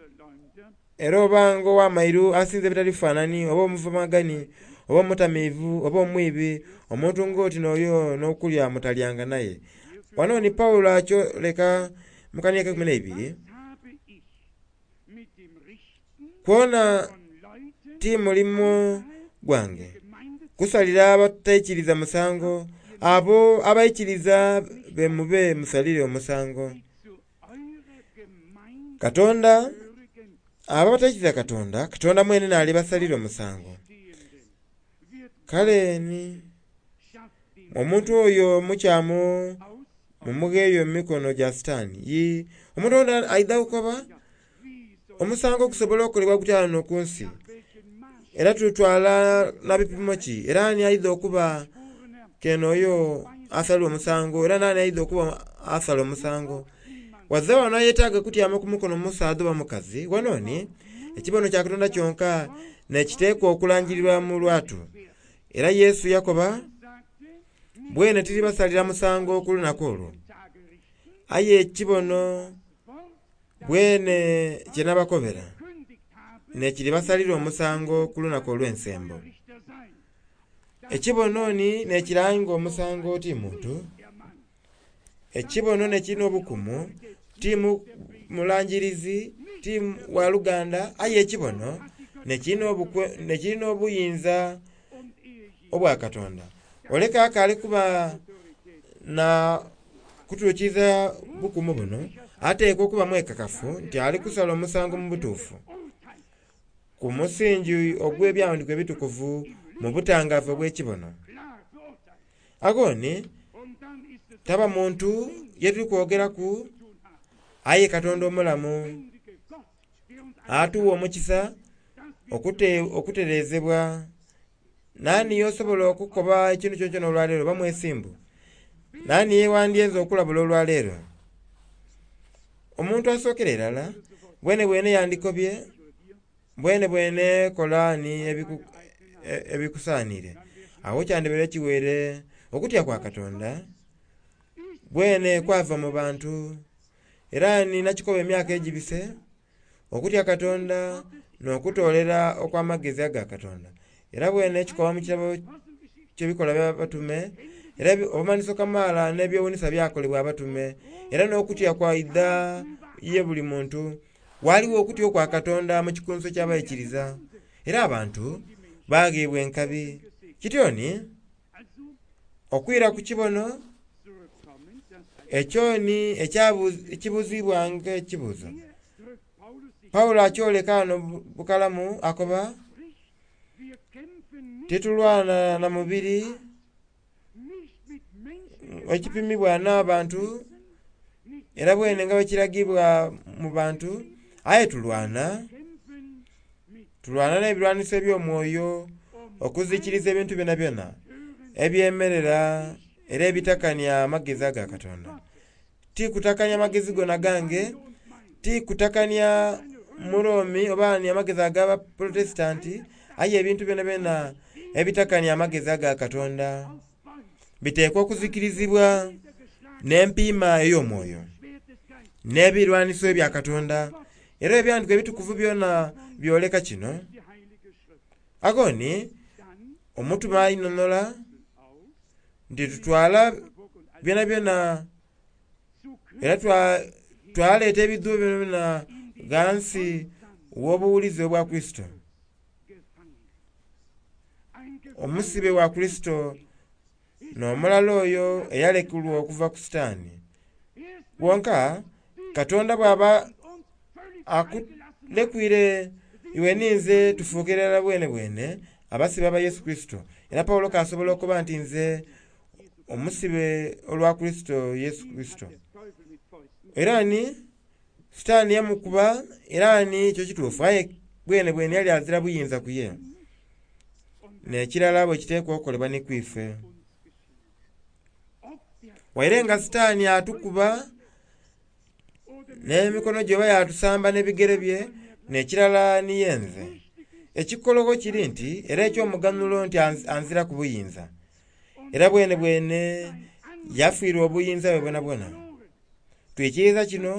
era oba nga ow'amairu asinza ebitali bifanhani, oba omuvumagani, oba omutamiivu, oba omwibi, omuntu ng'oti n'oyo n'okulya mutalyanga naye. Wano ni Paulo akyoleka mu kanhiriri akeikumi n'eibiri, kwona ti mulimo gwange kusalira abataikiriza musango, abo abaikiriza be mube musalire omusango. Katonda, abo abataikiriza Katonda, Katonda mwene n'alibasalira omusango. Kale ni omuntu oyo omukyamu mumugheeyo mu mikono gya Sitaani. Yii, omuntu ono aidha kukoba omusango gusobola okukolebwa gutya ghano ku nsi? Era tutwala na bipimo ki? Era ani aidha okuba kene oyo asalirwa omusango? Era nani aidha okuba asala omusango? Wazira wano ayetaaga kutyama ku mukono musaadha oba mukazi. Wano ni ekibono kya Katonda kyonka n'ekiteekwa okulangirirwa mu lwatu. Era Yesu yakoba, Bwene tiribasalira musango ku lunaku olwo, aye ekibono bwene kye nabakobera n'ekiribasalira omusango ku lunaku olw'ensembo. Ekibono ni n'ekiranga omusango ti muntu. Ekibono n'ekirina obukumu ti mulangirizi, ti waluganda, aye ekibono n'ekirina obuyinza obwa Katonda. Ole kaakaali kuba na kutuukiriza bukumu buno, ateekwa okuba mwekakafu nti ali kusala omusango mu butuufu, ku musingi ogw'Ebyaghandiikibwa Ebitukuvu mu butangaavu obw'ekibono. Agho ni taba muntu ye tuli kwogeraku aye Katonda omulamu atuwa omukisa okutereezebwa. Naani y'osobola okukoba ekintu kyonakyona olwaleero oba mwesimbu? Naani ye wandyenze okulabula olwaleero? Omuntu asookera irala bwenebwene yandikobye bwenebwene kola ni ebikusaaniire. Agho kyandibaire kiweire okutya kwa Katonda bwene kwava mu bantu. Era nina kikoba emyaka egibise, okutya Katonda n'okutoolera okw'amagezi aga Katonda. Era bwene ekikoba mu kitabo ky'Ebikolwa by'Abatume, era obumanhiso kamaala n'ebyewuunhisa byakolebwa abatume, era n'okutya kwaidha ye buli muntu. Ghaligho okutya okwa Katonda mu kikunsu eky'abaikiriza, era abantu bagheebwa enkabi. Kityo ni, okwira ku kibono ekyo ni ekibuuzibwa ng'ekibuuzo. Paulo akyoleka ghano bukalamu akoba, titulwana na mubiri ekipimibwa n'abantu era bwene nga bwekiragibwa mu bantu, aye tulwana, tulwana n'ebilwaniso eby'omwoyo okuzikiriza ebintu byonabyona ebyemerera era ebitakania amagezi aga Katonda. Ti kutakania magezi gona gange, ti kutakania Muromi oba ni amagezi ag'Abaprotestanti, aye ebintu byonabyona ebitakania amagezi aga Katonda biteekwa okuzikirizibwa n'empiima ey'omwoyo n'ebilwaniso ebya Katonda. Era ebyandikwa ebitukuvu byona byoleka kino. Agho ni omutume ainhonhola nti tutwala byonabyona era twaleeta ebidhuubo byonabyona ghansi gh'obuwulize obwa Kurisito. Omusibe wa Kurisito n'omulala oyo eyalekulwa okuva ku Sitaani. Wonka Katonda bw'aba akulekwire iwe ninze tufuukire irala bwenebwene abasibe aba Yesu Kurisito. Era Paulo k'asobola okuba nti nze omusibe olwa Kurisito Yesu Kurisito. Era ni Sitaani yamukuba era ni ekyo kituufu aye bwenebwene yali azira buyinza ku ye. N'ekirala bwe kiteekwa okukolebwa ni ku ife. Waire nga Sitaani atukuba n'emikono gye oba yatusamba n'ebigere bye, n'ekirala ni yenze. Ekikologho kiri nti era eky'omuganhulo nti anziraku buyinza. Era bwenebwene yafiirwa obuyinza bwe bwonabwona. Twikiriza kino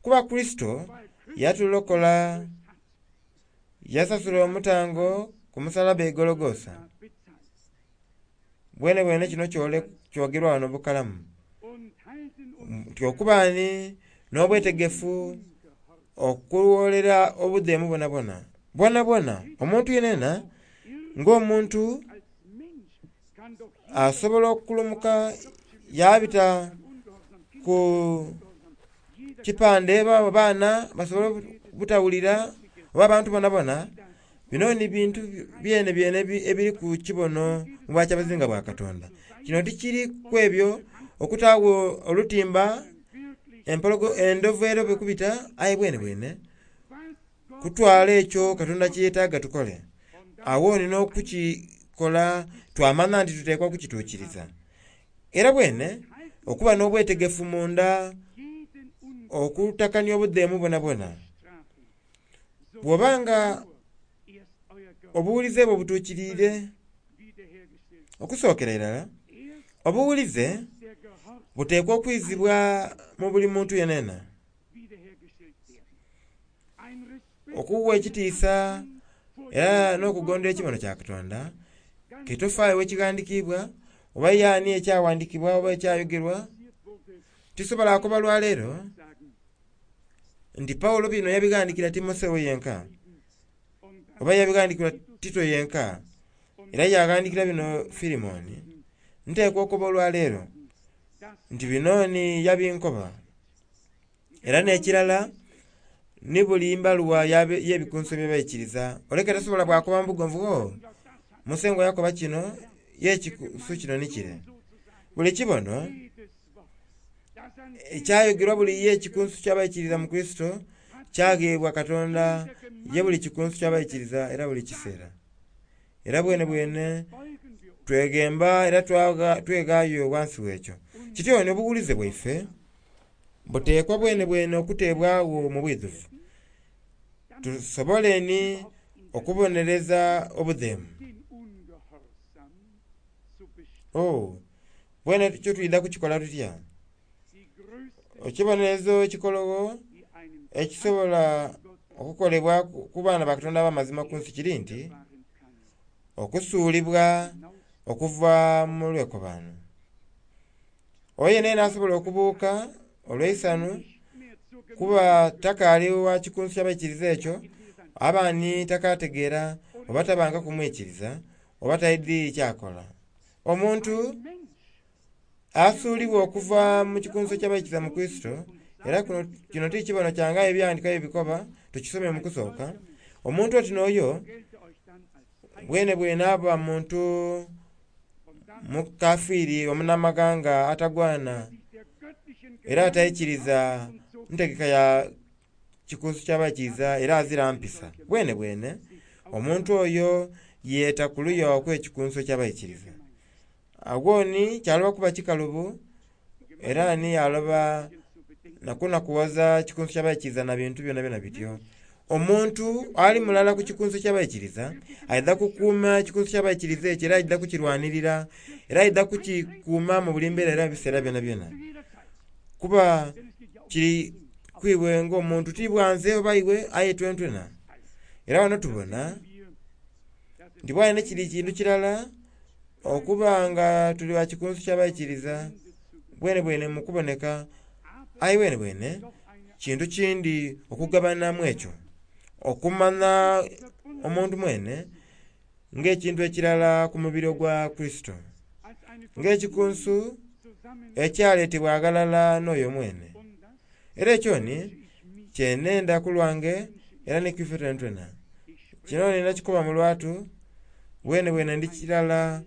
kuba Kurisito yatulokola, yasasula omutango ku musalaba e Gologosa. Bwenebwene kino kyogerwa ghano bukalamu nti okuba ni n'obwetegefu okuwolera obudheemu bwonabwona. Bwonabwona omuntu yenayena ng'omuntu asobola okulumuka yabita ku kipande baana basobola obutawulira oba abantu bonabona. Bino ni bintu byenebyene ebiri ku kibono mu bwakyabazinga bwa Katonda. Kino tikiri ku ebyo okutaagho olutimba endhovu erobe kubita aye bwenebwene kutwala ekyo Katonda kyeyetaaga tukole. Agho ni n'okukikola twamanha nti tuteekwa kukituukiriza. Era bwene okuba n'obwetegefu munda okutakania obudheemu bwonabwona. Bw'oba nga obuwulize bwo butuukiriire, okusookera irala obuwulize buteekwa okwizibwa mu buli muntu yenayena. Okuwa ekitiisa era n'okugondera ekibono kya Katonda, kitofaayo wekighandhikiibwa oba yaani ekyaghandhikiibwa oba ekyayogerwa. Tisobola kukoba lwaleero nti Paulo bino yabighandhikira Timotheo yenka oba yabighandhikira Tito yenka, era yaghandhikira bino Filimoni. Nteekwa okukoba olwaleero nti bino ni yabinkoba. Era n'ekirala ni buli mbaluwa y'ebikunsu eby'abaikiriza. Oleke tasobola bwakoba mu bugonvu, oo, Musengwa yakoba kino, ye ekikunsu kino ni kire. Buli kibono ekyayogerwa buli ye ekikunsu ky'abaikiriza mu Kurisito kyagheebwa Katonda ye buli kikunsu ky'abaikiriza era buli kiseera. Era bwenebwene tweghemba era tweghaayo ghansi w'ekyo. Kityo ni obuwulize bwaife buteekwa bwenebwene okuteebwagho mu bwidhuvu, tusobole ni okubonereza obudheemu. Oh, bwene kyo twidha kukikola tutya? Ekibonerezo ekikologho ekisobola okukolebwa ku baana ba Katonda ab'amazima ku nsi kiri nti okusuulibwa okuva mu lwekobaano. Oyo yenayena asobola okubuuka olw'eisanhu kuba takaali wa kikunsu kya baikiriza ekyo, aba ni takategeera oba tabangaku mwikiriza oba taidhi kyakola. Omuntu asuulibwa okuva mu kikunsu eky'abaikiriza mu Kurisito, era kino ti kibono kyange aye Ebyawandiikibwa bye bikoba, tukisome mu kusooka. Omuntu oti n'oyo bwenebwene aba muntu mukafiiri omunamaghanga atagwana era ataikiriza ntegeka ya kikunsu kya baikiriza era azira mpisa. Bwenebwene omuntu oyo yeeta ku luya okw'ekikunsu eky'abaikiriza. Agho ni kyaloba kuba kikalubu era ni yaloba na kunakuwaza kikunsu kya baikiriza na bintu byonabyona bityo. Omuntu ali mulala ku kikunsu eky'abaikiriza aidha kukuuma ekikunsu ky'abaikiriza ekyo era aidha kukirwanirira era aidha kukikuuma mu buli mbeera era mu biseera byonabyona. Kuba kiri ku iwe ng'omuntu ti bwa nze oba iwe aye twentwena. Era ghano tubona nti bwali ni kiri kintu kirala okuba nga tuli ba kikunsu kya baikiriza bwenebwene mu kuboneka, aye bwenebwene kintu kindi okugabanamu ekyo, okumanha omuntu mwene ng'ekintu ekirala ku mubiri ogwa Kurisito, ng'ekikunsu ekyaleetebwa aghalala n'oyo mwene. Era ekyo ni kyenenda ku lwange era ni ku ife twenatwena. Kino ni nakikoba mu lwatu, bwenebwene ndi kirala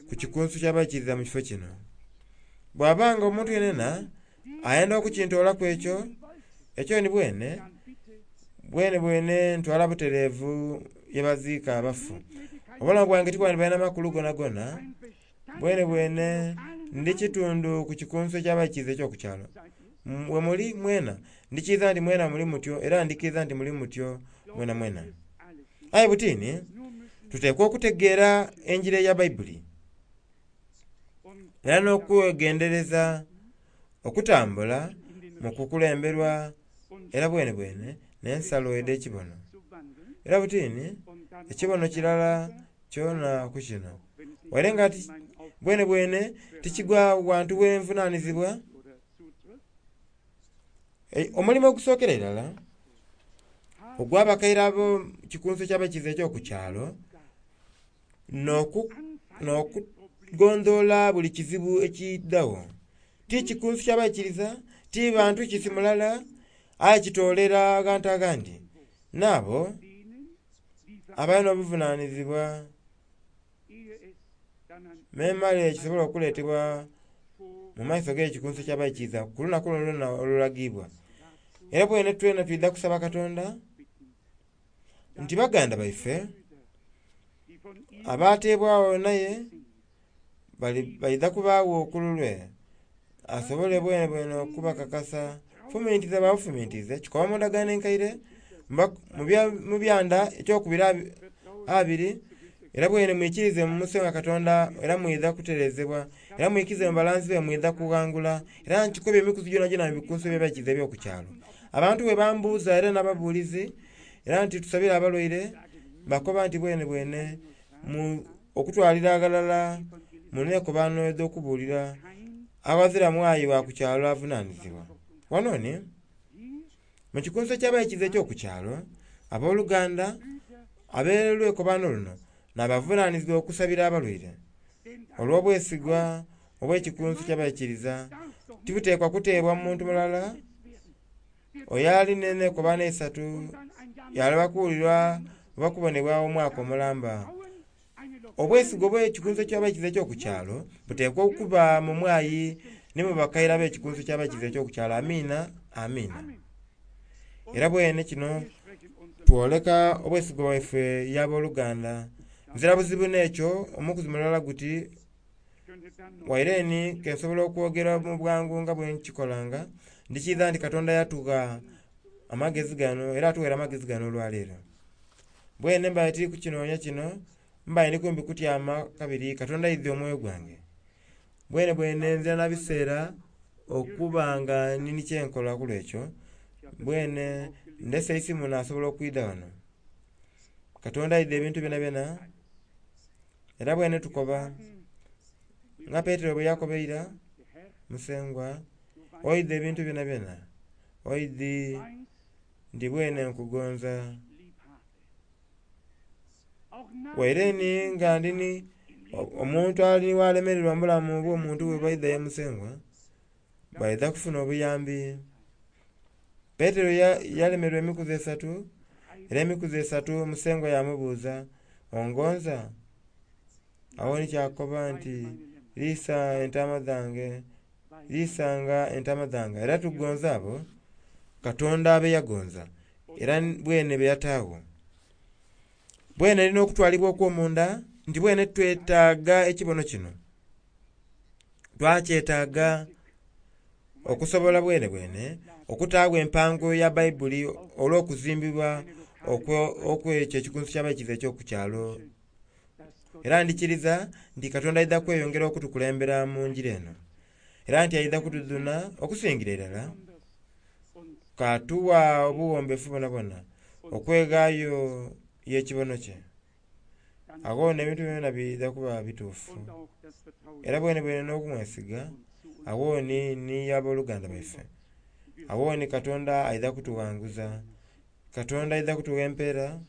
ku kikunsu ky'abaikiriza mu kifo kino. Bw'aba nga omuntu yenena ayenda okukintoolaku ekyo, ekyo ni bwene, bwenebwene ntwala butereevu ye baziika abafu. Obulamu bwange tibwandibaire na makulu gonagona, bwenebwene ndi kitundu ku kikunsu eky'abaikiriza eky'oku kyalo. Bwe muli mwena, ndikiiza nti mwena muli mutyo era ndikiiza nti muli mutyo mwenamwena. Aye butini, tuteekwa okutegeera enjiri eya Baibuli era n'okwegendereza okutambula mu kukulemberwa era bwenebwene n'ensalo edh'ekibono. Era butini, ekibono kirala kyona ku kino. Waire nga bwenebwene tikigwa wantu w'envunanizibwa, omulimo ogusookera irala ogw'abakaire abo kikunsu eky'abaikiriza eky'oku kyalo n'okugondhoola buli kizibu ekidhagho. Ti kikunsu ky'abaikiriza, ti bantu kisi mulala, aye kitoolera aghantu aghandi. N'abo abalina obuvunanizibwa memale kisobola okuleetebwa mu maiso g'ekikunsu eky'abaikiriza ku lunaku luno lwona olulagibwa. Era bwene twena twidha kusaba Katonda nti baganda baife abateebwagho naye baidha kubaagho ku lulwe, asobole bwenebwene okubakakasa. Fumintiza bwabufumintirize kikoba mu ndagaano enkaire mu byanda ekyokubiri abiri, era bwene mwikirize mu Musengwa Katonda era mwidha kutereezebwa, era mwikirize mu balanzi be mwidha kughangula. Era nkikobye emikuzi gyonagyona mu bikunsu eby'abaikiriza eby'oku kyalo. Abantu bwe bambuuza era n'ababuulizi, era nti tusabire abalwaire, bakoba nti bwenebwene okutwalira aghalala mu neekobaano edh'okubuulira aghazira mwayi wa ku kyalo avunaanizibwa. Wano ni mu kikunsu eky'abaikiriza eky'oku kyalo, abooluganda ab'olwekobaano luno n'abavunaanizibwa okusabira abalwaire. Olw'obwesigwa obw'ekikunsu ky'abaikiriza tibuteekwa kuteebwa mu muntu mulala oyo ali n'eneekobaano eisatu yaloba kuwulirwa oba kubonebwa omwaka omulamba. Obwesigwa obw'ekikunsu eky'abaikiriza eky'oku kyalo buteekwa okuba mu mwayi ni mu bakaire ab'ekikunsu eky'abaikiriza eky'oku kyalo. Amiina, amiina. Era bwene kino twoleka obwesigwa bwaife y'abooluganda. Nzira buzibu n'ekyo omukuzi mulala guti waire ni kensobola okwogera mu bwangu nga bwe nkikolanga, ndikiidha nti Katonda yatugha amagezi gano era atuweere amagezi gano olwaleero. Bwene mbaire tiri kukinoonia kino, mbaire ndi kumpi kutyama kabiri Katonda aidhi omwoyo gwange. Bwenebwene nzira na biseera okuba nga nini kyenkola ku lwekyo bwene ndese eisimu nasobola okwidha ghano. Katonda aidha ebintu byonabyona era bwene tukoba nga Petero bwe yakoba eira, Musengwa oidhi ebintu byonabyona, oidhi nti bwene nkugonza. Waire ni nga ndini omuntu ali ghalemererwa mu bulamu obw'omuntu bwe baidha ye Musengwa baidha kufuna obuyambi. Petero yalemererwa emikuzi esatu era emikuzi esatu Musengwa yamubuuza, ongonza? Agho ni kyakoba nti liisa entaama dhange, liisanga entaama dhange. Era tugonza abo Katonda be yagonza era bwene be yataagho. Bwene erina okutwalibwa okw'omunda nti bwene twetaaga ekibono kino. Twakyetaaga okusobola bwene bwene okutaagho empango ya Baibuli olw'okuzimbibwa okw'ekyo ekikunsu ky'abaikiriza eky'oku kyalo. Era ndikiriza nti Katonda aidha kweyongera okutukulembera mu njira eno. Era nti aidha kutudhuna okusingira irala katuwa obuwombeefu bwonabwona okweghaayo y'ekibono kye. Agho n'ebintu byona biidha kuba bituufu. Era bwene bwene n'okumwesiga agho ni abooluganda baife. Agho ni Katonda aidha kutughanguza, Katonda aidha kutugha empeera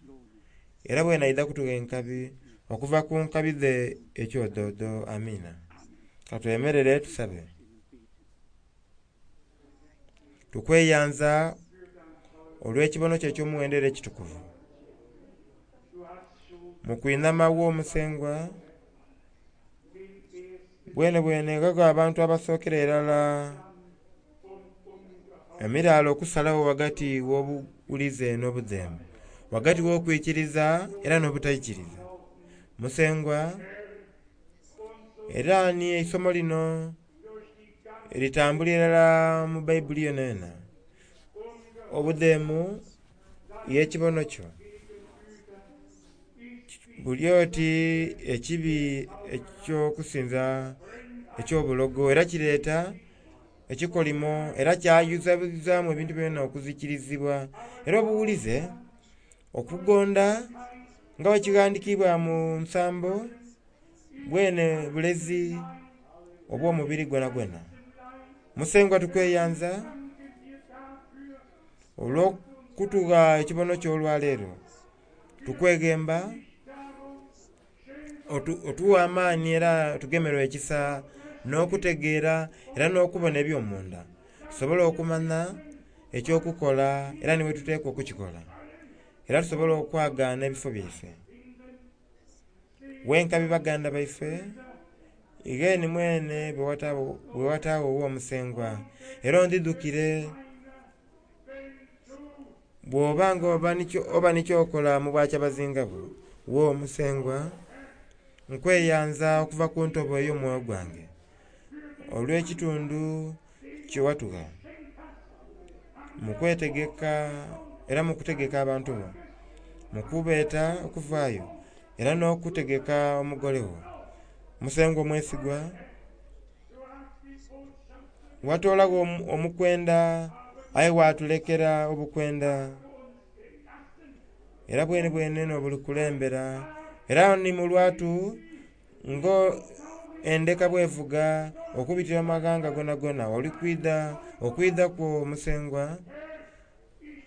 era bwene aidha kutugha enkabi okuva ku nkabi dhe ekyodoodo. Amiina. Katwemerere tusabe. Tukweyanza olw'ekibono kyo eky'omuwendo era ekitukuvu. Mu kwinhama wo Musengwa bwene bwene gago abantu abasookera irala emiraala okusalagho ghagati w'obuwulize n'obudheemu, ghagati w'okwikiriza era n'obutaikiriza. Musengwa era ni eisomo lino litambulira irala mu Baibuli yonayona. Obudheemu y'ekibono kyo buli oti ekibi eky'okusinza eky'obulogo era kireeta ekikolimo era kyayuzayuzaamu ebintu byona okuzikirizibwa. Era obuwulize okugonda nga bwe kighandikiibwa mu nsambo bwene bulezi obw'omubiri gwonagwona. Musengwa tukweyanza olw'okutugha ekibono kyo olwaleero. Tukweghemba otuwe amaani era otugemerwe ekisa n'okutegeera era n'okubona eby'omunda tusobole okumanya eky'okukola era ni bwe tuteekwa okukikola era tusobole okwagaana ebifo byaife. Wenkabi baganda baife ighe ni mwene bwe wataagho ow'omusengwa era ondhidhukire bw'oba nga oba ni ky'okola mu bwakyabazinga bwo wo Musengwa, nkweyanza okuva ku ntobo ey'omwoyo gwange olw'ekitundu kye watugha mu kwetegeka era mu kutegeka abantu bo, mu kubeeta okuvaayo era n'okutegeka omugole wo. Musengwa omwesigwa, watoolagho omukwenda aye watulekera obukwenda era bwene bwene n'obulikulembera era ni mu lwatu nga endeka bw'evuga okubitira mu maghanga gonagona oli kwidha okwidha kwo Musengwa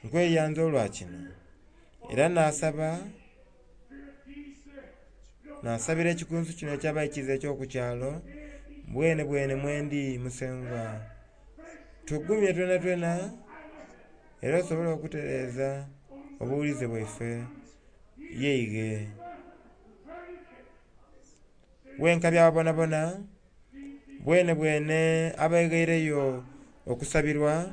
nkweyanza olwa kino era nasaba nasabira ekikunsu kino eky'abaikiriza eky'oku kyalo bwene bwene mwendi Musengwa. Tugumye twenatwena era osobole okutereeza obuwulize bwaife yeighe. Wenkabi abo bonabona bwene bwene abeghaireyo okusabirwa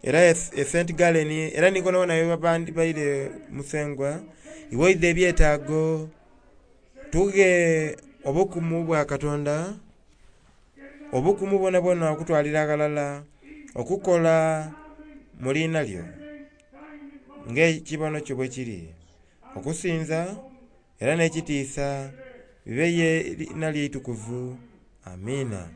era e St. Gallen era ni ghonawona ghebabaire Musengwa iwe oidha ebyetaago tughe obukumu bwa Katonda, obukumu bwonabwona okutwalira aghalala okukola mu liina lyo ng'ekibono kyo bwe kiri okusinza era n'ekitiisa bibe ye liina lyo eitukuvu. Amiina.